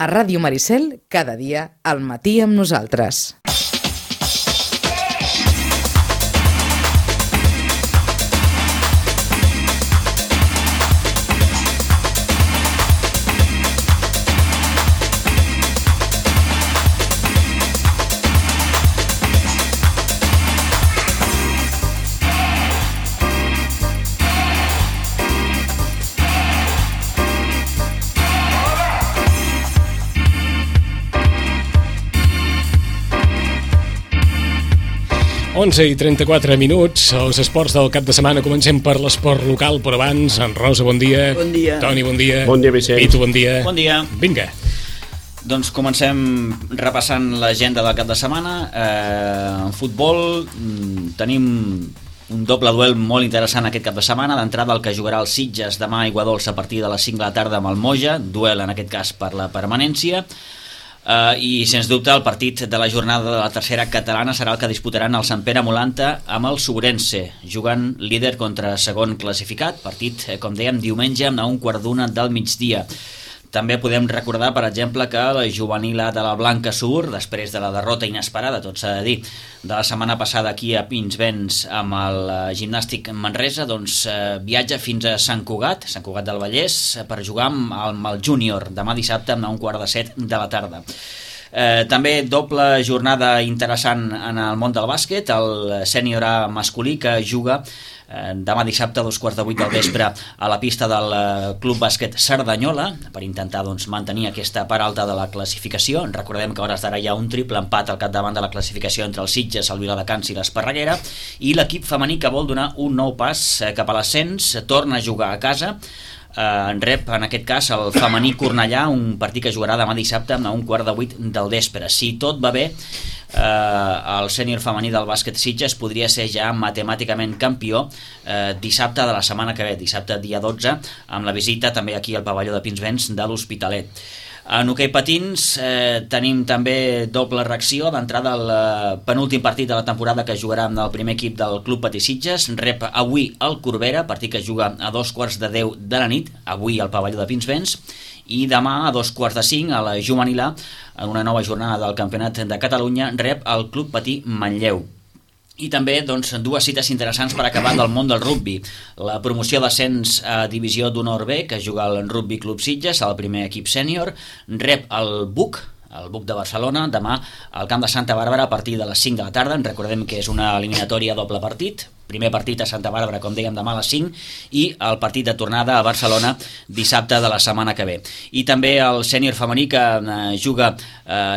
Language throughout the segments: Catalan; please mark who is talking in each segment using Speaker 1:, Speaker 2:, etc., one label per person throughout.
Speaker 1: A Ràdio Maricel, cada dia, al matí amb nosaltres.
Speaker 2: Onze i 34 minuts, els esports del cap de setmana. Comencem per l'esport local, però abans, en Rosa, bon dia.
Speaker 3: Bon dia.
Speaker 2: Toni, bon dia.
Speaker 4: Bon dia, Vicenç.
Speaker 2: Pitu, bon dia.
Speaker 5: Bon dia.
Speaker 2: Vinga.
Speaker 5: Doncs comencem repassant l'agenda del cap de setmana. En futbol tenim un doble duel molt interessant aquest cap de setmana. D'entrada, el que jugarà el Sitges demà a Aiguadols a partir de les 5 de la tarda amb el Moja. Duel, en aquest cas, per la permanència. I sens dubte el partit de la jornada de la tercera catalana serà el que disputaran el Sant Pere Molanta amb el Sobrense, jugant líder contra segon classificat. Partit, com dèiem, diumenge a 1:15 del migdia. També podem recordar, per exemple, que la juvenil A de la Blanca Sur, després de la derrota inesperada, tot s'ha de dir, de la setmana passada aquí a Pinsbens amb el Gimnàstic Manresa, doncs viatja fins a Sant Cugat del Vallès, per jugar amb el Júnior demà dissabte a 1:15 de la tarda. També doble jornada interessant en el món del bàsquet, el sènior A masculí, que juga demà dissabte a 2:15 del vespre a la pista del Club Bàsquet Cerdanyola, per intentar mantenir aquesta part alta de la classificació. Recordem que a hores d'ara hi ha un triple empat al capdavant de la classificació entre el Sitges, el Viladecans i l'Esparreguera, i l'equip femení, que vol donar un nou pas cap a l'ascens, torna a jugar a casa. Rep en aquest cas el femení Cornellà, un partit que jugarà demà dissabte a 1:15 del vespre. Si tot va bé, el sènior femení del bàsquet Sitges podria ser ja matemàticament campió dissabte de la setmana que ve, dissabte dia 12, amb la visita també aquí al pavelló de Pinsbens de l'Hospitalet. En hoquei patins tenim també doble reacció. D'entrada, el penúltim partit de la temporada que jugarà amb el primer equip del Club Patí Sitges. Rep avui el Corbera, partit que juga a 2:15 de la nit, avui al pavelló de Pinsbens, i demà a 2:45 a la juvenil A, en una nova jornada del Campionat de Catalunya, rep el Club Patí Manlleu. I també dues cites interessants per acabar del món del rugbi. La promoció d'ascens a Divisió d'Honor B, que juga el Rugby Club Sitges, el primer equip sènior, rep el BUC de Barcelona, demà al camp de Santa Bàrbara a partir de les 5 de la tarda. Recordem que és una eliminatòria doble partit. Primer partit a Santa Bàrbara, com dèiem, demà a les 5, i el partit de tornada a Barcelona dissabte de la setmana que ve. I també el sènior femení, que juga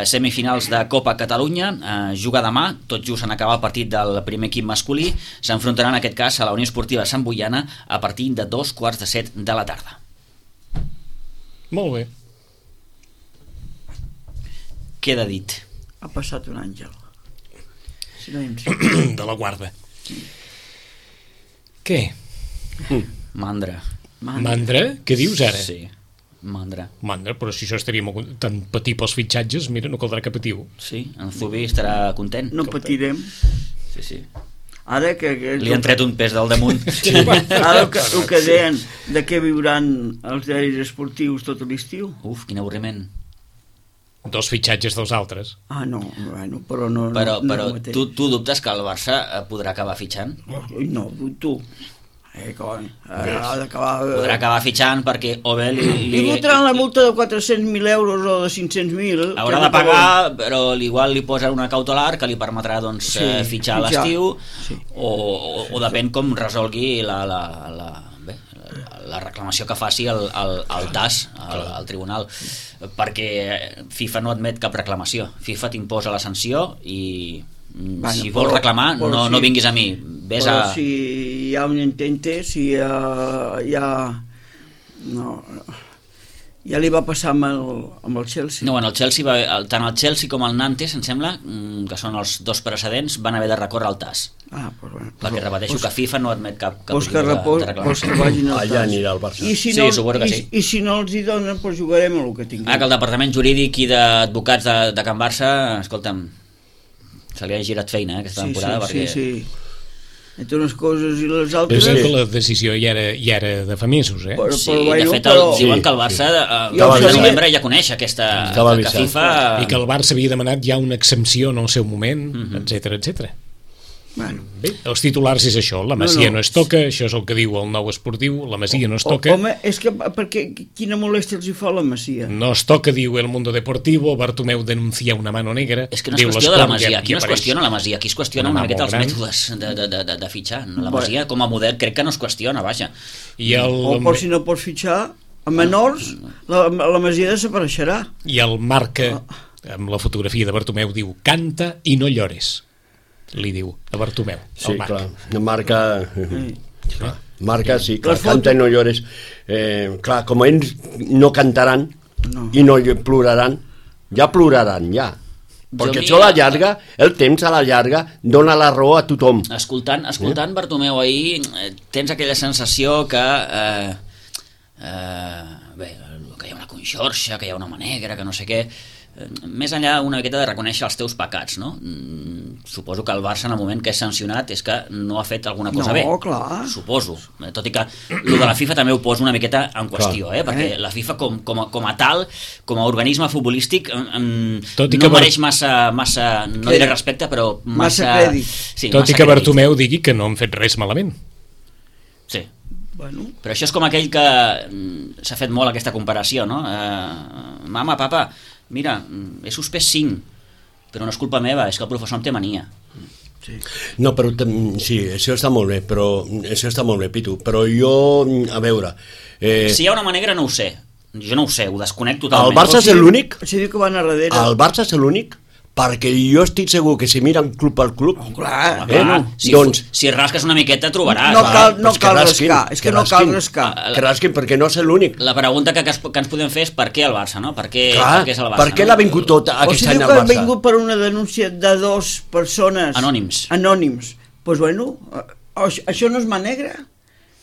Speaker 5: semifinals de Copa Catalunya, juga demà, tot just en acabar el partit del primer equip masculí. S'enfrontaran en aquest cas a la Unió Esportiva Sant Boiana a partir de 2:15 de la tarda.
Speaker 2: Molt bé.
Speaker 5: Queda dit.
Speaker 3: Ha passat un àngel. Si no
Speaker 2: de la guarda. Què?
Speaker 5: Mandra.
Speaker 2: Mandra? Què dius ara?
Speaker 5: Sí, mandra.
Speaker 2: Mandra, però si això estaria molt tan patir pels fitxatges, mira, no caldrà que patiu.
Speaker 5: Sí, en Zubi estarà content.
Speaker 3: No patirem.
Speaker 5: Sí.
Speaker 3: Ara que
Speaker 5: li han tret un pes del damunt.
Speaker 3: Sí. Ara el que deien de què viuran els diaris esportius tot l'estiu.
Speaker 5: Uf, quin avorriment.
Speaker 2: Dos fitxatges dels altres.
Speaker 3: No, bueno, però no.
Speaker 5: Però tu dubtes que el Barça podrà acabar fitxant?
Speaker 3: No, tu. Ha d'acabar...
Speaker 5: Podrà acabar fitxant perquè o bé
Speaker 3: li fotran la multa de 400.000 euros o de 500.000.
Speaker 5: Haurà de pagar, però igual li posen una cautelar que li permetrà fitxar a l'estiu, o depèn com resolgui la reclamació que faci el TAS, al tribunal, perquè FIFA no admet cap reclamació. FIFA t'imposa la sanció i si vols reclamar no vinguis a mi,
Speaker 3: però si hi ha un intente, si ja li va passar amb el Chelsea.
Speaker 5: No, el Chelsea tant el Chelsea com el Nantes, em sembla, que són els dos precedents, van haver de recórrer al TAS. Perquè repeteixo que FIFA no admet cap
Speaker 3: tipus de reclamació.
Speaker 4: Allà anirà el Barça.
Speaker 3: I si no els hi donen, doncs jugarem el que tinguem.
Speaker 5: Que el departament jurídic i d'advocats de Can Barça, escolta'm, se li ha girat feina aquesta temporada, perquè...
Speaker 3: Sí. entre unes coses i les
Speaker 2: Però
Speaker 3: altres...
Speaker 2: és que la decisió ja era de fa mesos, eh?
Speaker 5: Sí, de fet, diuen que el Barça al novembre ja coneix aquesta... que FIFA...
Speaker 2: I que el Barça havia demanat ja una exempció en el seu moment, etc.
Speaker 3: Bueno.
Speaker 2: Bé, els titulars és això, la Masia no es toca, això és el que diu el Nou Esportiu, la Masia no es toca.
Speaker 3: Home, és que perquè quina molèstia els hi fa la Masia?
Speaker 2: No es toca, diu El Mundo Deportivo, Bartomeu denuncia una mano negra.
Speaker 5: És que no és qüestió de la Masia, aquí no es qüestiona la Masia, aquí es qüestiona una miqueta els mètodes de fitxar. La Masia com a model crec que no es qüestiona, vaja.
Speaker 3: O per si no pots fitxar a menors, la Masia desapareixerà.
Speaker 2: I el Marca, amb la fotografia de Bartomeu, diu canta i no llores. Li diu a Bartomeu.
Speaker 4: Sí, clar, Marca, sí, clar, canta i no llores. Clar, com ells no cantaran i no ploraran, ja ploraran, ja. Perquè això a la llarga, el temps a la llarga dona la raó a tothom.
Speaker 5: Escoltant Bartomeu ahir, tens aquella sensació que bé, que hi ha una conxorxa, que hi ha una mà negra, que no sé què. Més enllà una miqueta de reconèixer els teus pecats, no? Suposo que el Barça en el moment que és sancionat és que no ha fet alguna cosa bé.
Speaker 3: No, clar.
Speaker 5: Suposo. Tot i que el de la FIFA també ho poso una miqueta en qüestió, perquè la FIFA com a tal, com a organisme futbolístic, no mereix massa no diré respecte, però
Speaker 3: massa crèdit.
Speaker 5: Sí,
Speaker 2: tot i que Bartomeu digui que no han fet res malament.
Speaker 5: Sí.
Speaker 3: Bueno.
Speaker 5: Però això és com aquell que s'ha fet molt aquesta comparació, no? Mama, papa, mira, he suspès 5, però no és culpa meva, és que el professor em té mania.
Speaker 4: Sí. No, però sí, això està molt bé, Pitu, però jo, a veure...
Speaker 5: Si hi ha una mà negra no ho sé, jo no ho sé, ho desconec totalment.
Speaker 4: El Barça és l'únic?
Speaker 3: O sigui que van a darrere.
Speaker 4: El Barça és l'únic? Perquè jo estic segur que si miren club per club...
Speaker 3: Clar,
Speaker 5: si rasques una miqueta trobaràs.
Speaker 3: No cal rascar, és que no cal rascar.
Speaker 4: Que rasquin, perquè no és l'únic.
Speaker 5: La pregunta que ens podem fer és per què el Barça, no? Per què és el Barça?
Speaker 4: Per què l'ha vingut tot aquest any al Barça?
Speaker 3: O sigui que ha vingut per una denúncia de 2 persones...
Speaker 5: Anònims.
Speaker 3: Doncs bueno, això no és mà negra.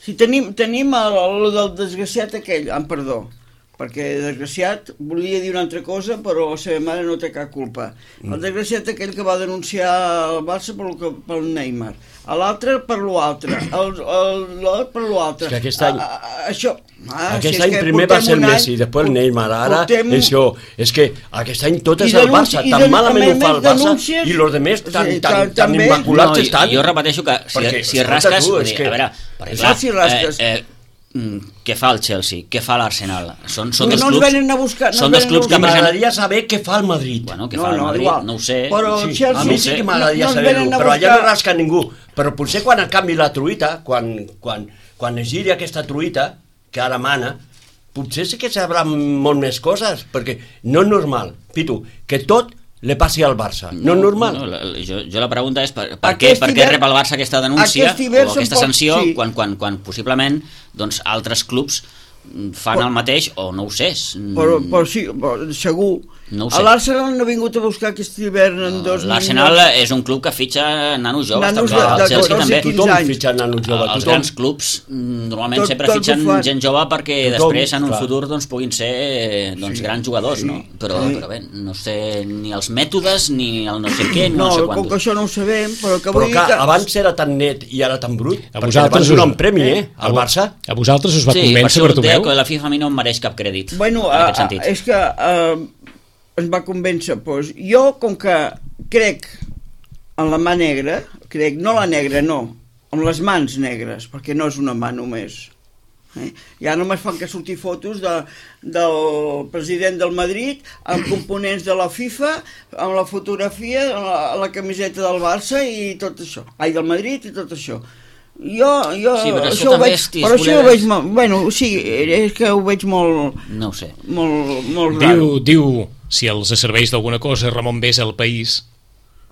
Speaker 3: Si tenim el del desgraciat aquell, perdó, perquè desgraciat volia dir una altra cosa però la seva mare no té cap culpa. El desgraciat aquell que va denunciar el Barça pel Neymar, l'altre per l'altre, l'altre per l'altre.
Speaker 4: És que aquest any primer va ser el Messi, després el Neymar, ara això, és que aquest any tot és el Barça, tan malament ho fa el Barça i els altres tan immaculats estan.
Speaker 5: Jo repeteixo que si rasques, a veure, per exemple, què fa el Chelsea, què fa l'Arsenal, són dos clubs que
Speaker 4: m'agradaria saber què fa el Madrid.
Speaker 5: Bueno, què fa el Madrid, no ho sé.
Speaker 4: A mi sí que m'agradaria saber-ho, però allà no rasca ningú. Però potser quan canvi la truita, quan es giri aquesta truita que ara mana, potser sí que sabran molt més coses, perquè no és normal, Pitu, que tot li passi al Barça, no és normal.
Speaker 5: Jo la pregunta és per què rep el Barça aquesta denúncia o aquesta sanció quan possiblement altres clubs fan el mateix o no ho sé.
Speaker 3: Però sí, segur.
Speaker 5: No ho sé.
Speaker 3: L'Arsenal no ha vingut a buscar aquest hivern en 2
Speaker 5: L'Arsenal és un club que fitxa nanos joves, també. El Chelsea també.
Speaker 4: Tothom fitxa nanos joves.
Speaker 5: Els grans clubs normalment sempre fitxen gent jove perquè després en un futur puguin ser grans jugadors, no? Però bé, no sé ni els mètodes ni el no sé què, no sé quant.
Speaker 3: Com que això no ho sabem, però que
Speaker 4: vull dir que... abans era tan net i ara tan brut, perquè abans donar un premi, al Barça.
Speaker 2: A vosaltres us va convèncer Bartomeu?
Speaker 5: Sí, que la FIFA a mi no em mereix cap crèdit.
Speaker 3: Bueno, és que ens va convèncer, doncs jo com que crec en la mà negra, no la negra, no, amb les mans negres, perquè no és una mà només. Ja només fan que sortir fotos del president del Madrid amb components de la FIFA, amb la fotografia, la camiseta del Barça i tot això. Ai, del Madrid i tot això.
Speaker 5: Això ho veig
Speaker 3: molt, bueno, sí, és que ho veig molt,
Speaker 5: no ho sé,
Speaker 3: molt raro.
Speaker 2: Diu, si els serveix d'alguna cosa, Ramon Besa al País,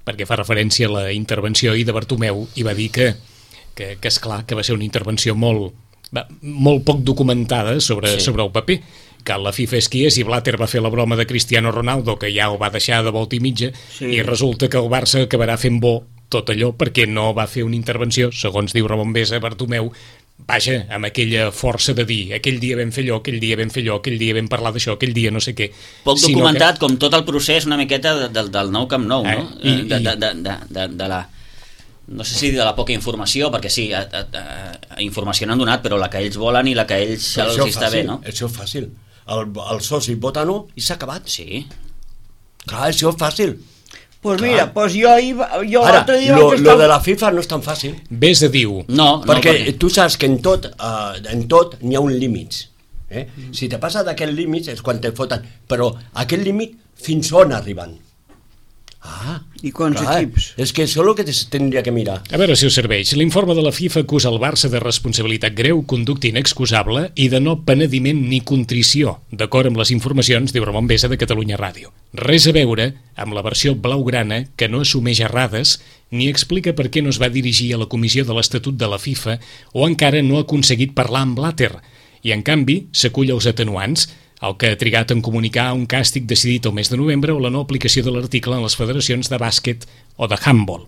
Speaker 2: perquè fa referència a la intervenció ahir de Bartomeu, i va dir que és clar que va ser una intervenció molt poc documentada sobre el paper, que la FIFA és qui és, i Blatter va fer la broma de Cristiano Ronaldo, que ja ho va deixar de volta i mitja, i resulta que el Barça acabarà fent bo tot allò perquè no va fer una intervenció, segons diu Ramon Besa, Bartomeu, vaja, amb aquella força de dir aquell dia vam fer allò, aquell dia vam fer allò, aquell dia vam parlar d'això, aquell dia no sé què.
Speaker 5: Poc documentat, com tot el procés una miqueta del nou Camp Nou, no? no sé si de la poca informació, perquè sí, informació n'han donat, però la que ells volen i la que ells els està bé, no?
Speaker 4: Això és fàcil. El soci vota no i s'ha acabat.
Speaker 5: Sí.
Speaker 4: Clar, això és fàcil.
Speaker 3: Pues mira, pues jo
Speaker 4: ara,
Speaker 3: l'altre dia
Speaker 4: lo de la FIFA no és tan fàcil.
Speaker 2: Ves a dir-ho.
Speaker 5: No,
Speaker 4: perquè tu saps que en tot n'hi ha un límit. Si te passa d'aquest límit és quan te foten, però aquest límit fins on arriben?
Speaker 3: I quants equips?
Speaker 4: És que això és el que tindria que mirar.
Speaker 2: A veure si us serveix. L'informe de la FIFA acusa el Barça de responsabilitat greu, conducta inexcusable i de no penediment ni contrició, d'acord amb les informacions, diu Ramon Besa de Catalunya Ràdio. Res a veure amb la versió blaugrana que no assumeix errades ni explica per què no es va dirigir a la comissió de l'Estatut de la FIFA o encara no ha aconseguit parlar amb Blatter. I, en canvi, s'acull als atenuants, el que ha trigat en comunicar un càstig decidit el mes de novembre o la no aplicació de l'article en les federacions de bàsquet o de handball.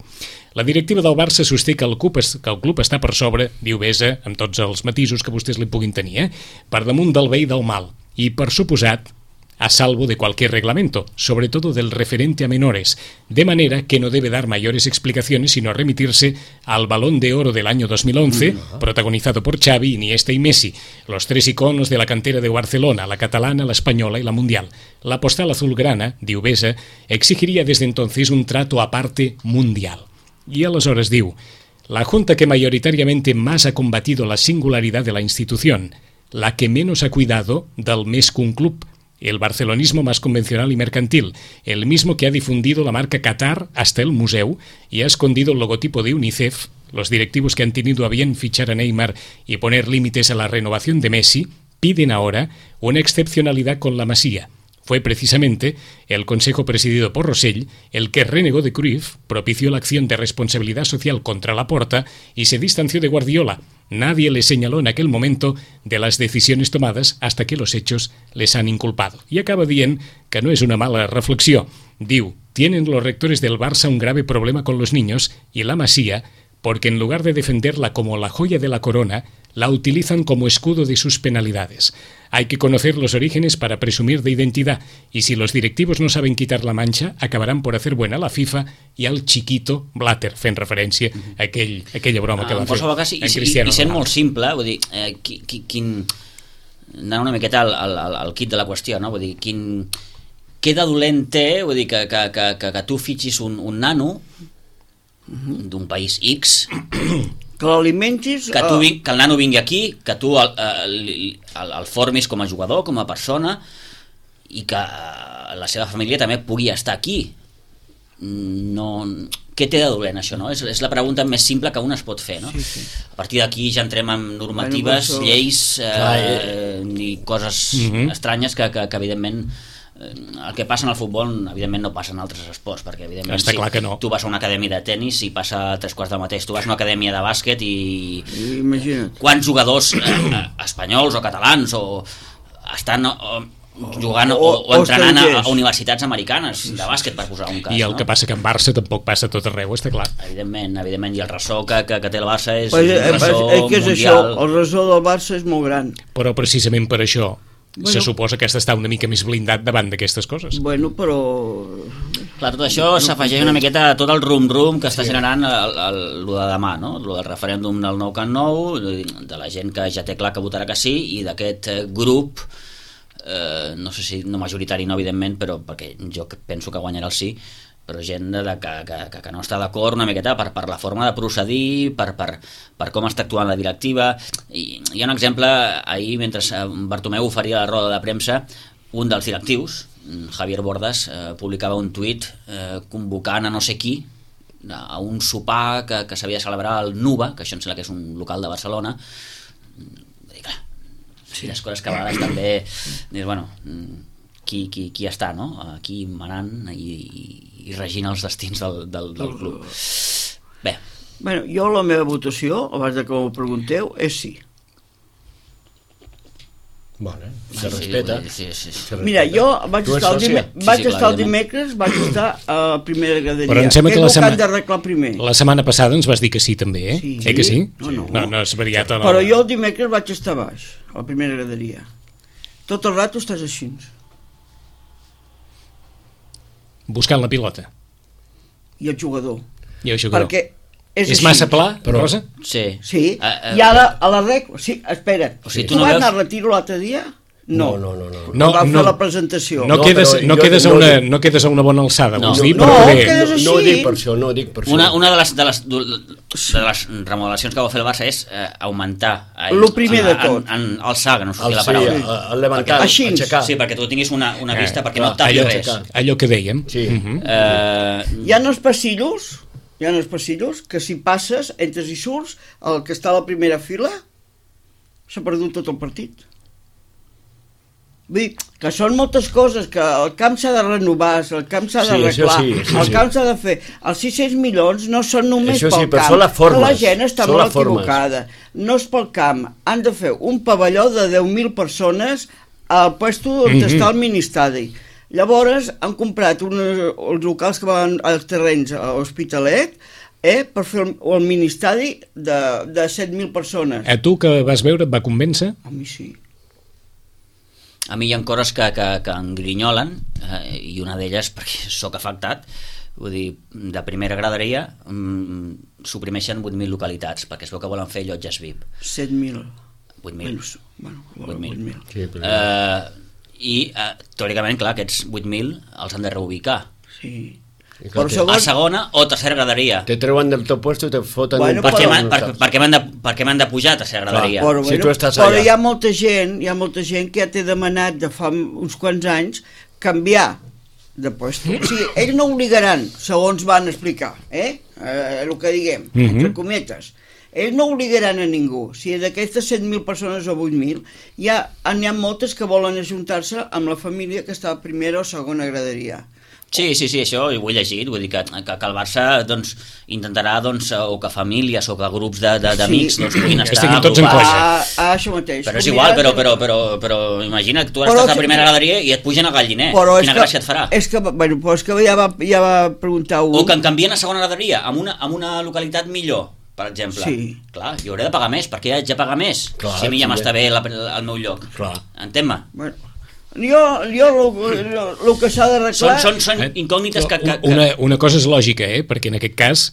Speaker 2: La directiva del Barça sosté que el club està per sobre, diu Besa, amb tots els matisos que vostès li puguin tenir, per damunt del bé i del mal, i per suposat a salvo de cualquier reglamento, sobre todo del referente a menores, de manera que no debe dar mayores explicaciones sino remitirse al Balón de Oro del año 2011, protagonizado por Xavi, Iniesta y Messi, los tres iconos de la cantera de Barcelona, la catalana, la española y la mundial. La postal azulgrana, diu Besa, exigiría desde entonces un trato aparte mundial. Y aleshores diu, la junta que mayoritariamente más ha combatido la singularidad de la institución, la que menos ha cuidado del més que un club, el barcelonismo más convencional y mercantil, el mismo que ha difundido la marca Qatar hasta el museo y ha escondido el logotipo de UNICEF, los directivos que han tenido a bien fichar a Neymar y poner límites a la renovación de Messi, piden ahora una excepcionalidad con la Masía. Fue precisamente el Consejo presidido por Rosell el que renegó de Cruyff, propició la acción de responsabilidad social contra Laporta y se distanció de Guardiola. Nadie le señaló en aquel momento de las decisiones tomadas hasta que los hechos les han inculpado. Y acaba dient que no es una mala reflexió. Diu, tienen los rectores del Barça un grave problema con los niños y la Masía, porque en lugar de defenderla como la joya de la corona, la utilizan como escudo de sus penalidades. Hay que conocer los orígenes para presumir de identidad, y si los directivos no saben quitar la mancha, acabarán por hacer buena la FIFA i al chiquito Blatter, fent referència a aquella broma que va fer en Cristiano Ronaldo.
Speaker 5: I sent molt simple, vull dir, anant una miqueta al kit de la qüestió, no? Vull dir, què de dolent té, vull dir, que tu fitxis un nano d'un país X
Speaker 3: que l'alimentis,
Speaker 5: que el nano vingui aquí, que tu el formis com a jugador, com a persona, i que la seva família també pugui estar aquí. Què té de dolent això, no? És la pregunta més simple que un es pot fer, no? Sí. A partir d'aquí ja entrem en normatives, lleis i coses estranyes que evidentment el que passa en el futbol evidentment no passa en altres esports, perquè evidentment
Speaker 2: està clar que no.
Speaker 5: Tu vas a una acadèmia de tennis i passa 3/4 del mateix, tu vas a una acadèmia de bàsquet i
Speaker 3: imagina't
Speaker 5: quants jugadors espanyols o catalans o estan jugant o entrenant a universitats americanes de bàsquet, per posar un cas,
Speaker 2: i el que passa que en Barça tampoc passa tot arreu, està clar.
Speaker 5: Evidentment, i el ressò que té el Barça és
Speaker 3: que és això, el ressò del Barça és molt gran,
Speaker 2: però precisament per això se suposa que has d'estar una mica més blindat davant d'aquestes coses.
Speaker 3: Bueno, però...
Speaker 5: Clar, tot això s'afegeix una miqueta a tot el rum-rum que està generant lo de demà, no? Lo del referèndum del Nou Camp Nou, de la gent que ja té clar que votarà que sí, i d'aquest grup, no sé si no majoritari, no, evidentment, però perquè jo penso que guanyarà el sí, però gent que no està d'acord una miqueta per la forma de procedir, per com està actuant la directiva. I hi ha un exemple, ahir mentre Bartomeu oferia la roda de premsa, un dels directius, Javier Bordas, publicava un tuit convocant a no sé qui a un sopar que s'havia de celebrar al Nuba, que això em sembla que és un local de Barcelona. Sí, les coses que a vegades també dius, bueno, qui està, no? Aquí manant i regint els destins del club. Bé.
Speaker 3: Bueno, jo la meva votació, abans de que m'ho pregunteu, és sí.
Speaker 4: Vale, se respeta.
Speaker 5: Sí.
Speaker 3: Mira, jo vaig estar el dimecres, vaig estar a la primera graderia.
Speaker 2: Però em sembla que
Speaker 3: han d'arreglar primer.
Speaker 2: La setmana passada ens vas dir que sí també, eh?
Speaker 3: Sí.
Speaker 2: Que sí?
Speaker 3: No
Speaker 2: és variat o no.
Speaker 3: Però jo el dimecres vaig estar baix, a la primera graderia. Tot el rato estàs així.
Speaker 2: Buscant la pilota.
Speaker 3: I el jugador.
Speaker 2: Perquè
Speaker 3: És
Speaker 2: És
Speaker 3: així.
Speaker 2: massa pla, Rosa?
Speaker 5: Sí.
Speaker 3: Sí, i ara a la rec... Sí, espera't.
Speaker 5: O sigui,
Speaker 3: Tu
Speaker 5: tu no
Speaker 3: vas
Speaker 5: veus-
Speaker 3: anar al retiro l'altre dia? No.
Speaker 4: No.
Speaker 2: No,
Speaker 3: Vam
Speaker 2: no.
Speaker 3: fer la presentació.
Speaker 2: No,
Speaker 4: No,
Speaker 2: quedes,
Speaker 4: però
Speaker 2: no,
Speaker 4: jo
Speaker 2: quedes a
Speaker 4: no
Speaker 2: una,
Speaker 4: dic-
Speaker 2: no quedes a una bona alçada,
Speaker 5: No.
Speaker 2: vols dir?
Speaker 3: No,
Speaker 2: Però
Speaker 3: quedes
Speaker 2: bé.
Speaker 3: així.
Speaker 4: No ho dic per això, no ho dic per això.
Speaker 5: Una de les remodelacions que va fer el Barça és augmentar...
Speaker 3: Lo primer de tot.
Speaker 5: Alçar, que no sortia la
Speaker 4: Sí,
Speaker 5: paraula.
Speaker 4: el levantar,
Speaker 3: Així.
Speaker 4: aixecar.
Speaker 5: Sí, perquè tu tinguis una vista, perquè no
Speaker 4: clar,
Speaker 5: et tapi
Speaker 2: allò,
Speaker 5: res.
Speaker 2: allò que dèiem.
Speaker 4: Sí.
Speaker 3: Hi ha els passillos que si passes, entres i surts, el que està a la primera fila s'ha perdut tot el partit. Vull dir, que són moltes coses, que el camp s'ha de renovar, el camp s'ha
Speaker 4: Sí,
Speaker 3: d'arreglar,
Speaker 4: això
Speaker 3: el camp s'ha de fer. Els 600 milions no són només
Speaker 4: Això sí,
Speaker 3: pel
Speaker 4: però
Speaker 3: camp,
Speaker 4: són les formes,
Speaker 3: la gent està
Speaker 4: són
Speaker 3: molt
Speaker 4: les formes.
Speaker 3: equivocada. No és pel camp, han de fer un pavelló de 10.000 persones al puesto on està el ministeri. Llavors han comprat els locals que van als terrenys a l'Hospitalet per fer el ministeri de 7.000 persones.
Speaker 2: A tu que vas veure et va convèncer?
Speaker 3: A mi sí.
Speaker 5: A mi hi ha coses que em grinyolen, i una d'elles, perquè sóc afectat, vull dir, de primera graderia suprimeixen 8.000 localitats, perquè es veu que volen fer llotges VIP.
Speaker 3: 7.000.
Speaker 5: 8.000.
Speaker 3: Bueno,
Speaker 5: 8.000.
Speaker 4: Sí, però...
Speaker 5: I, teòricament, clar, aquests 8.000 els han de reubicar.
Speaker 3: Sí.
Speaker 4: I clar,
Speaker 5: A segona o tercera graderia.
Speaker 4: te treuen del teu puesto i te foten
Speaker 3: Bueno,
Speaker 4: un
Speaker 5: Per què
Speaker 4: puesto.
Speaker 5: per què m'han de pujar a tercera graderia?
Speaker 3: Però,
Speaker 4: Si tu estàs
Speaker 3: però
Speaker 4: allà.
Speaker 3: hi ha molta gent que ja t'he demanat de fa uns quants anys canviar de puesto. O sigui, ells no obligaran, segons van explicar, el que diguem, entre cometes. Ells no obligaran a ningú. Si d'aquestes 7.000 persones o 8.000, n'hi ha moltes que volen ajuntar-se amb la família que està a primera o segona graderia.
Speaker 5: Sí, això ho he llegit, vull dir que el Barça doncs, intentarà o que famílies o que grups d'amics doncs, puguin estar
Speaker 2: estiguin tots en
Speaker 5: agrupats.
Speaker 2: colla.
Speaker 3: Això mateix.
Speaker 5: Però és igual, però imagina't, tu estàs a la primera graderia i et pugen al galliner. Quina gràcia et farà?
Speaker 3: És que ja va preguntar un...
Speaker 5: O que em canvien a segona graderia, amb una localitat millor, per exemple.
Speaker 3: Sí.
Speaker 5: Clar, jo hauré de pagar més, perquè haig de pagar més,
Speaker 4: Clar,
Speaker 5: si a mi ja
Speaker 4: sí,
Speaker 5: m'està bé el meu lloc.
Speaker 4: Clar.
Speaker 5: Entén-me?
Speaker 3: Bueno, jo el que s'ha d'arreglar...
Speaker 5: Són incògnites que...
Speaker 2: Una cosa és lògica, perquè en aquest cas,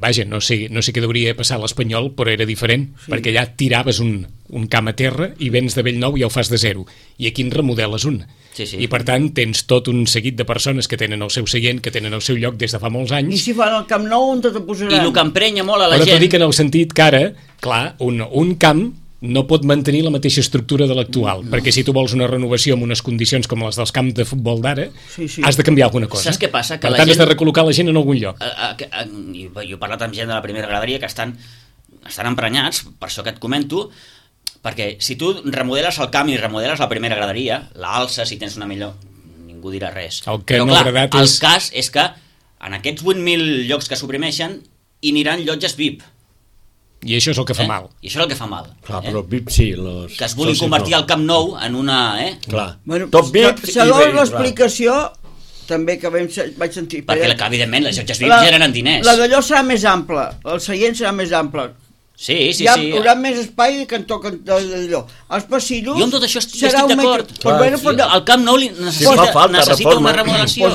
Speaker 2: vaja, no sé què hauria passar a l'Espanyol, però era diferent, perquè allà tiraves un camp a terra i vens de Bellnou i ja ho fas de zero. I aquí en remodeles un.
Speaker 5: Sí.
Speaker 2: I per tant tens tot un seguit de persones que tenen el seu seient, que tenen el seu lloc des de fa molts
Speaker 3: I
Speaker 2: anys.
Speaker 3: si fan el Camp Nou, on te posaran?
Speaker 5: I el que emprenya molt a la
Speaker 2: Però t'ho
Speaker 5: gent...
Speaker 2: dic en el sentit que ara, clar, un camp no pot mantenir la mateixa estructura de l'actual, perquè si tu vols una renovació amb unes condicions com les dels camps de futbol d'ara,
Speaker 3: Sí.
Speaker 2: has de canviar alguna cosa.
Speaker 5: Saps què passa? Que
Speaker 2: Per
Speaker 5: la
Speaker 2: tant, has
Speaker 5: gent-
Speaker 2: de recol·locar la gent en algun lloc.
Speaker 5: Jo he parlat amb gent de la primera graderia que estan emprenyats, per això que et comento, perquè si tu remodeles el camp i remodeles la primera graderia, l'alces, si tens una millor, ningú dirà res.
Speaker 2: El que
Speaker 5: Però
Speaker 2: no ha
Speaker 5: clar,
Speaker 2: agradat
Speaker 5: el
Speaker 2: és-
Speaker 5: cas és que en aquests 8.000 llocs que suprimeixen hi aniran llotges VIP.
Speaker 2: I això és el que fa mal.
Speaker 5: I això és el que fa mal.
Speaker 4: Clar, però VIP sí.
Speaker 5: Que es vulguin convertir el Camp Nou en una...
Speaker 4: Clar.
Speaker 3: Bueno,
Speaker 4: Tot VIP
Speaker 3: segons l'explicació, també que vaig sentir...
Speaker 5: Perquè, evidentment, les llotges VIP generen diners.
Speaker 3: La d'allò serà més ampla, el seient serà més ample.
Speaker 5: Sí.
Speaker 3: Hi haurà més espai que en toquen d'allò. Els passillos...
Speaker 5: Jo amb tot això estic
Speaker 3: serà un
Speaker 5: d'acord.
Speaker 3: metre- Pues bueno, pues
Speaker 5: El Camp Nou necessita
Speaker 4: reforma.
Speaker 5: una remodelació.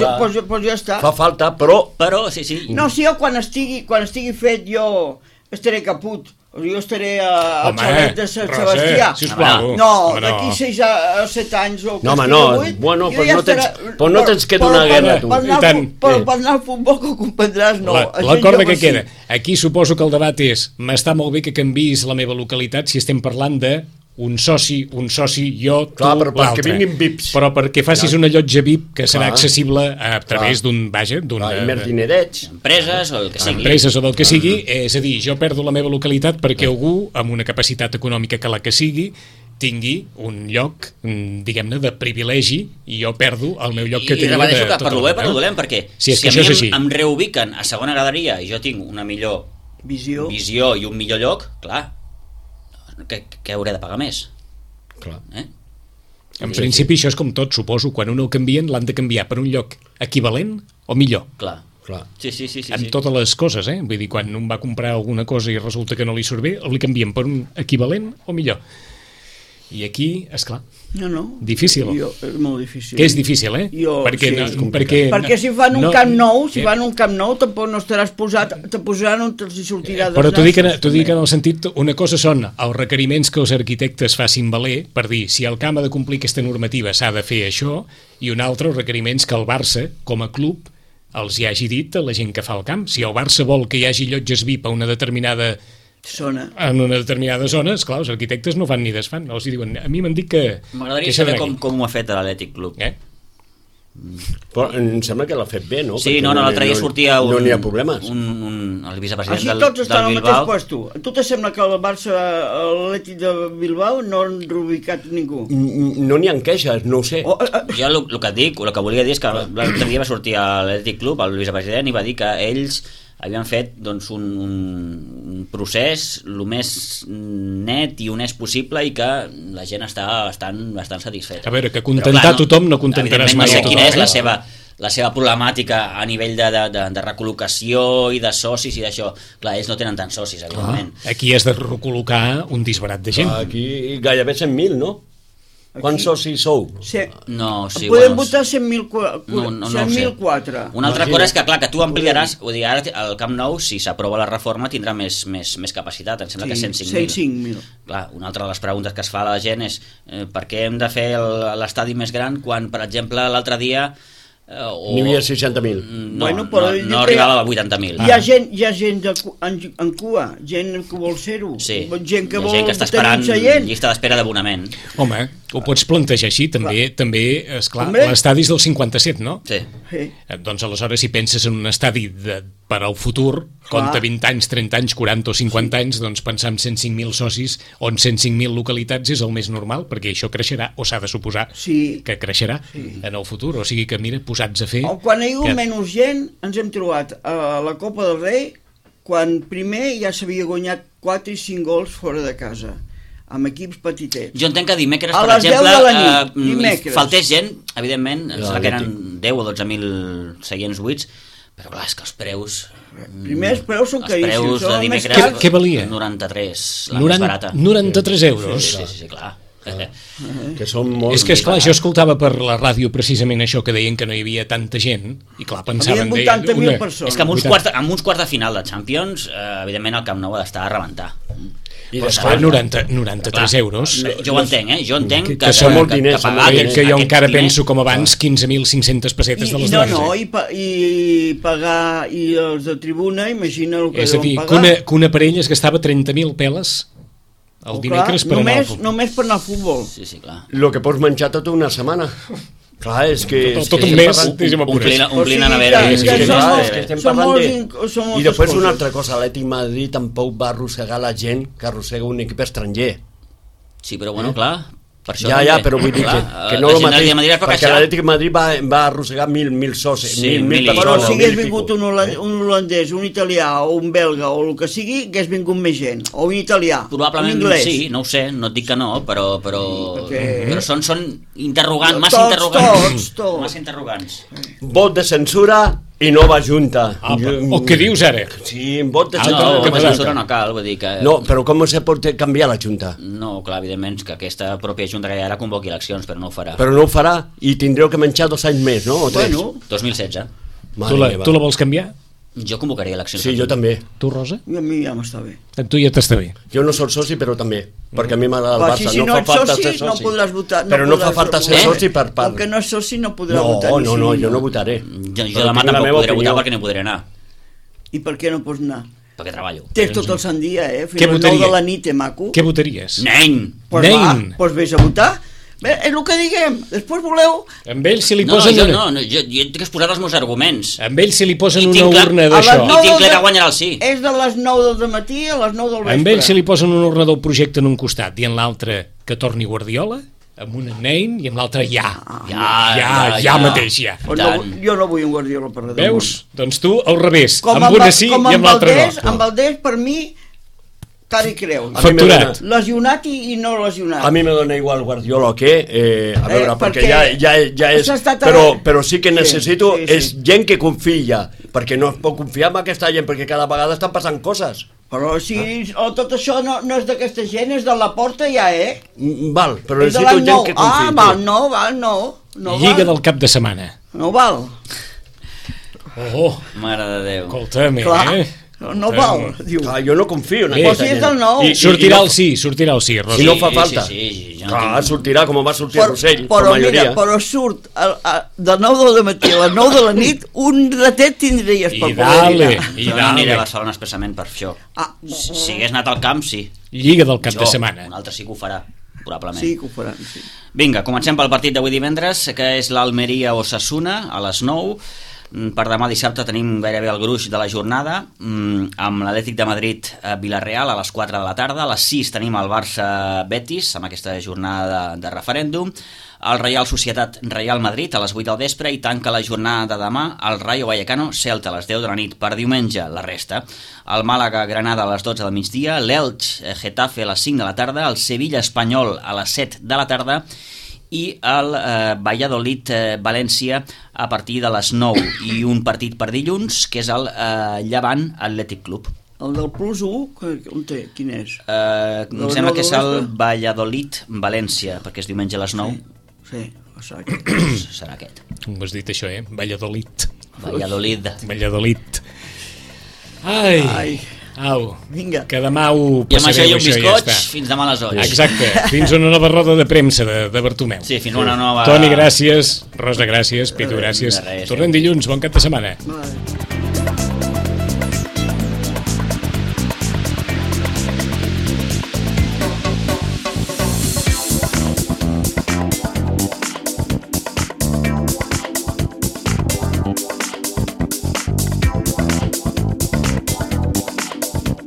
Speaker 3: Pues ja està.
Speaker 4: Fa falta, però...
Speaker 5: Però, sí.
Speaker 3: No, si jo quan estigui fet jo estaré caput. Jo estaré al
Speaker 2: Home,
Speaker 3: xalet de Sant
Speaker 2: Roser,
Speaker 3: Sebastià.
Speaker 2: sisplau.
Speaker 3: No,
Speaker 2: Home, no.
Speaker 3: d'aquí 6 a 7 anys o
Speaker 4: No, home,
Speaker 3: estigui
Speaker 4: no.
Speaker 3: 8,
Speaker 4: Bueno,
Speaker 3: jo
Speaker 4: pues
Speaker 3: ja
Speaker 4: no tens-
Speaker 3: estaré-
Speaker 4: pues no tens que donar guerra, tu.
Speaker 2: I tant.
Speaker 3: Per anar al futbol, que ho comprendràs, no.
Speaker 2: La corda que queda. Aquí suposo que el debat és, m'està molt bé que canviïs la meva localitat si estem parlant de un soci, jo, tu,
Speaker 4: Clar, però perquè
Speaker 2: l'altre.
Speaker 4: vinguin VIPs.
Speaker 2: Però perquè facis una llotja VIP que serà
Speaker 4: Clar.
Speaker 2: accessible a través d'un
Speaker 4: Més dinerets.
Speaker 5: Empreses o el que sigui.
Speaker 2: empreses o del que sigui, és a dir, jo perdo la meva localitat perquè algú amb una capacitat econòmica que la que sigui tingui un lloc, diguem-ne, de privilegi i jo perdo el meu lloc que
Speaker 5: I
Speaker 2: tenia
Speaker 5: repeteixo que
Speaker 2: tota
Speaker 5: per lo
Speaker 2: la
Speaker 5: bé, per
Speaker 2: vida.
Speaker 5: lo dolent, perquè
Speaker 2: Sí, és
Speaker 5: si
Speaker 2: que
Speaker 5: a
Speaker 2: això és
Speaker 5: mi
Speaker 2: així.
Speaker 5: em reubiquen a segona graderia i jo tinc una millor
Speaker 3: Visió.
Speaker 5: i un millor lloc, clar, què hauré de pagar més?
Speaker 4: Clar.
Speaker 2: En principi això és com tot, suposo, quan un el canvien l'han de canviar per un lloc equivalent o millor.
Speaker 5: Clar.
Speaker 4: Clar.
Speaker 5: Sí.
Speaker 2: Amb totes les coses, vull dir, quan un va comprar alguna cosa i resulta que no li surt bé, li canvien per un equivalent o millor. I aquí, esclar,
Speaker 3: No.
Speaker 2: difícil.
Speaker 3: És molt difícil.
Speaker 2: Que és difícil, eh?
Speaker 3: Perquè si fan un Camp Nou, tampoc no estaràs posat, te posaran on te'ls sortirà dels
Speaker 2: Però t'ho dic
Speaker 3: nassos.
Speaker 2: en el sentit, una cosa són els requeriments que els arquitectes facin valer per dir si el camp ha de complir aquesta normativa s'ha de fer això, i un altre els requeriments que el Barça, com a club, els hi hagi dit a la gent que fa el camp. Si el Barça vol que hi hagi llotges VIP en una determinada zona, esclar, els arquitectes no fan ni desfan, els diuen, a mi m'han dit que...
Speaker 5: M'agradaria saber com ho ha fet l'Atlètic Club.
Speaker 4: Però em sembla que l'ha fet bé, no?
Speaker 5: Sí, no, l'altre dia sortia
Speaker 4: no n'hi ha problemes.
Speaker 5: El vicepresident
Speaker 3: Així
Speaker 5: del
Speaker 3: tots estan al mateix
Speaker 5: Bilbao.
Speaker 3: puesto. A tu te sembla que el Barça, l'Atlètic de Bilbao, no han reubicat ningú?
Speaker 4: No n'hi ha queixes, no ho sé.
Speaker 5: Jo el que et dic, el que volia dir és que l'altre dia va sortir a l'Atlètic Club, el vicepresident, i va dir que ells havien fet doncs, un procés el més net i honest possible i que la gent està bastant satisfeta.
Speaker 2: A veure, que contentar tothom no contentaràs mai
Speaker 5: a tothom. No sé quina és
Speaker 2: tothom.
Speaker 5: la seva problemàtica a nivell de recol·locació i de socis i d'això. Clar, ells no tenen tants socis, evidentment.
Speaker 2: Aquí has de recol·locar un disbarat de gent.
Speaker 4: Aquí gairebé 100.000, no? Quants socis sou?
Speaker 3: Sí.
Speaker 5: No, sí,
Speaker 3: podem votar 100.004.
Speaker 5: Una altra cosa és que, clar, que tu ampliaràs, vull dir, ara el Camp Nou, si s'aprova la reforma, tindrà més capacitat, em sembla que 105.000. Clar, una altra de les preguntes que es fa a la gent és per què hem de fer l'estadi més gran quan, per exemple, l'altre dia
Speaker 4: n'hi havia 60.000.
Speaker 5: No arribava a 80.000.
Speaker 3: Hi ha gent en cua, gent que vol ser-ho, gent que vol
Speaker 5: està esperant llista d'espera d'abonament.
Speaker 2: Home, ho pots plantejar així, també esclar, l'estadi és del 57, no?
Speaker 5: Sí.
Speaker 2: Doncs aleshores si penses en un estadi per al futur, compta 20 anys, 30 anys, 40 o 50 anys, doncs pensar en 105.000 socis o en 105.000 localitats és el més normal, perquè això creixerà, o s'ha de suposar que creixerà en el futur, o sigui que mira, posats a fer...
Speaker 3: Quan hi ha hagut menys gent, ens hem trobat a la Copa del Rei, quan primer ja s'havia guanyat 4 i 5 gols fora de casa, amb equips petitets.
Speaker 5: Jo entenc que dimecres, per exemple, faltés gent, evidentment, em sembla que eren 10 o 12.000 seients buits, però clar, és que els preus...
Speaker 3: Primer els preus són caríssims.
Speaker 5: Els preus de dimecres...
Speaker 2: Què valia?
Speaker 5: 93, la més barata.
Speaker 2: 93 euros?
Speaker 5: Sí, clar.
Speaker 4: Que són molt...
Speaker 2: És que, esclar, jo escoltava per la ràdio precisament això, que deien que no hi havia tanta gent, i clar, pensaven...
Speaker 3: Havien 80.000 persones.
Speaker 5: És que amb uns quarts de final de Champions, evidentment el Camp Nou ha d'estar a rebentar.
Speaker 2: Però esclar, 93 euros...
Speaker 5: Jo ho entenc, Jo entenc
Speaker 2: que són molt diners, que jo encara penso com abans 15.500 pessetes de les dones.
Speaker 3: I pagar i els de tribuna, imagina el que deuen pagar.
Speaker 2: És a dir, que una parella es gastava 30.000 peles el dimecres per anar al futbol.
Speaker 3: Només per anar al futbol.
Speaker 5: Sí, clar.
Speaker 4: El que pots menjar tota una setmana. Clar, és que...
Speaker 2: Tot un mes,
Speaker 5: omplint a nevera.
Speaker 4: I després una altra cosa, l'Atlètic Madrid tampoc va arrossegar la gent que arrossega un equip estranger.
Speaker 5: Sí, però bueno, clar...
Speaker 4: Ja, però vull dir que no el mateix, perquè l'Atlètic Madrid va arrossegar 1.000 socis, 1.000 persones.
Speaker 3: Però si hagués vingut un holandès, un italià o un belga o el que sigui, hagués vingut més gent, o un italià,
Speaker 5: probablement
Speaker 3: un anglès.
Speaker 5: Sí, no ho sé, no et dic que no, però són interrogants, massa interrogants.
Speaker 4: Vot de censura i nova junta.
Speaker 2: O què dius ara?
Speaker 4: Sí, vot de censura.
Speaker 5: No, la censura no cal, vull dir que...
Speaker 4: No, però com se pot canviar la junta?
Speaker 5: No, clar, evidentment, que aquesta pròpia junta que hi ha ara convoqui eleccions, però no ho farà.
Speaker 4: Però no ho farà i tindreu que menjar 2 anys més, no? O 3?
Speaker 5: Bueno, 2016.
Speaker 2: Tu la vols canviar?
Speaker 5: Jo convocaria eleccions.
Speaker 4: Sí, jo també.
Speaker 2: Tu, Rosa?
Speaker 3: A mi ja m'està bé.
Speaker 2: A tu ja t'està bé.
Speaker 4: Jo no soc soci, però també, perquè a mi m'agrada el Barça.
Speaker 3: Si no ets soci, no podràs votar.
Speaker 4: Però no fa falta ser soci per part.
Speaker 3: Com que no és soci, no podrà votar.
Speaker 4: No, jo no votaré.
Speaker 5: Jo demà tampoc podré votar perquè no podré anar.
Speaker 3: I per què no pots anar?
Speaker 5: Perquè treballo.
Speaker 3: Tens tot el sant dia, Fins a les 9 de la nit, maco.
Speaker 2: Què votaries?
Speaker 5: Nen!
Speaker 3: Doncs vés a votar. Bé, és el que diguem, després voleu...
Speaker 2: Amb ell si li posen...
Speaker 5: Jo tinc que exposar els meus arguments.
Speaker 2: Amb ell si li posen una urna d'això...
Speaker 5: I tinc clar que guanyarà el sí.
Speaker 3: És de les 9 del matí a les 9 del vespre.
Speaker 2: Amb ell si li posen una urna del projecte en un costat i en l'altre que torni Guardiola, amb una Nein i amb l'altre ja mateix.
Speaker 3: Jo no vull un Guardiola per res.
Speaker 2: Veus? Doncs tu al revés, amb una sí i amb l'altre no.
Speaker 3: Amb Valdés, per mi... Cari creu.
Speaker 2: Facturat.
Speaker 3: Lesionat i no lesionat.
Speaker 4: A mi me dona igual Guardiola que... a veure, perquè ja és... Però sí que necessito... És gent que confia, perquè no es pot confiar en aquesta gent, perquè cada vegada estan passant coses.
Speaker 3: Però si tot això no és d'aquesta gent, és de la porta ja,
Speaker 4: Val, però
Speaker 3: és de
Speaker 4: necessito
Speaker 3: l'any
Speaker 4: gent
Speaker 3: 9.
Speaker 4: que confiï.
Speaker 3: No
Speaker 2: Lliga
Speaker 3: val.
Speaker 2: del cap de setmana.
Speaker 3: No val.
Speaker 2: Oh,
Speaker 5: Mare de Déu.
Speaker 2: escolta'm,
Speaker 3: Clar, no val, diu.
Speaker 4: Clar, jo no confio en
Speaker 2: Bé.
Speaker 3: Però si és del 9.
Speaker 2: Sortirà el sí, Rosa.
Speaker 4: Si no fa falta.
Speaker 5: Sí, jo no
Speaker 4: Clar,
Speaker 5: tinc...
Speaker 4: sortirà com va sortir Rossell,
Speaker 3: però
Speaker 4: la majoria.
Speaker 3: mira, però surt de 9 del matí a les 9 de la nit, un ratet tindries per
Speaker 2: I
Speaker 3: poder
Speaker 2: dale,
Speaker 3: dinar.
Speaker 2: i
Speaker 5: Jo no aniré a
Speaker 2: dale.
Speaker 5: Barcelona expressament per això.
Speaker 3: Ah,
Speaker 5: Si hagués anat al camp, sí.
Speaker 2: Lliga del cap
Speaker 5: Jo,
Speaker 2: de setmana.
Speaker 5: un altre sí que ho farà, probablement.
Speaker 3: sí que ho faran, sí.
Speaker 5: Vinga, comencem pel partit d'avui divendres, que és l'Almeria-Osasuna, a les 9. Per demà dissabte tenim gairebé el gruix de la jornada, amb l'Atlètic de Madrid a Villarreal a les 4 de la tarda. A les 6 tenim el Barça-Betis, amb aquesta jornada de referèndum. El Real Societat-Real Madrid a les 8 del vespre, i tanca la jornada de demà el Rayo Vallecano-Celta a les 10 de la nit. Per diumenge, la resta. El Màlaga-Granada a les 12 del migdia, l'Elx-Getafe a les 5 de la tarda, el Sevilla-Espanyol a les 7 de la tarda, i el Valladolid-València a partir de les 9, i un partit per dilluns, que és el Llevant Atlètic Club.
Speaker 3: El del Plus 1, on té? Quin és?
Speaker 5: Em sembla que és el Valladolid-València, perquè és diumenge a les 9.
Speaker 3: Sí, serà aquest.
Speaker 5: Serà aquest.
Speaker 2: Com has dit això, Valladolid.
Speaker 5: Valladolid.
Speaker 2: Valladolid. Ai.
Speaker 3: Ai.
Speaker 2: Au,
Speaker 3: Vinga.
Speaker 2: que demà ho
Speaker 5: I amb això i
Speaker 2: passareu,
Speaker 5: un
Speaker 2: això ja
Speaker 5: bizcoig,
Speaker 2: està.
Speaker 5: fins demà a les 8.
Speaker 2: Exacte, fins a una nova roda de premsa de Bartomeu.
Speaker 5: Sí, fins una nova...
Speaker 2: Toni, gràcies. Rosa, gràcies. Pitu, gràcies.
Speaker 5: De res.
Speaker 2: Tornem dilluns, bon cap de setmana.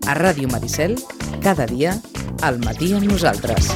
Speaker 1: A Ràdio Maricel, cada dia, al matí amb nosaltres.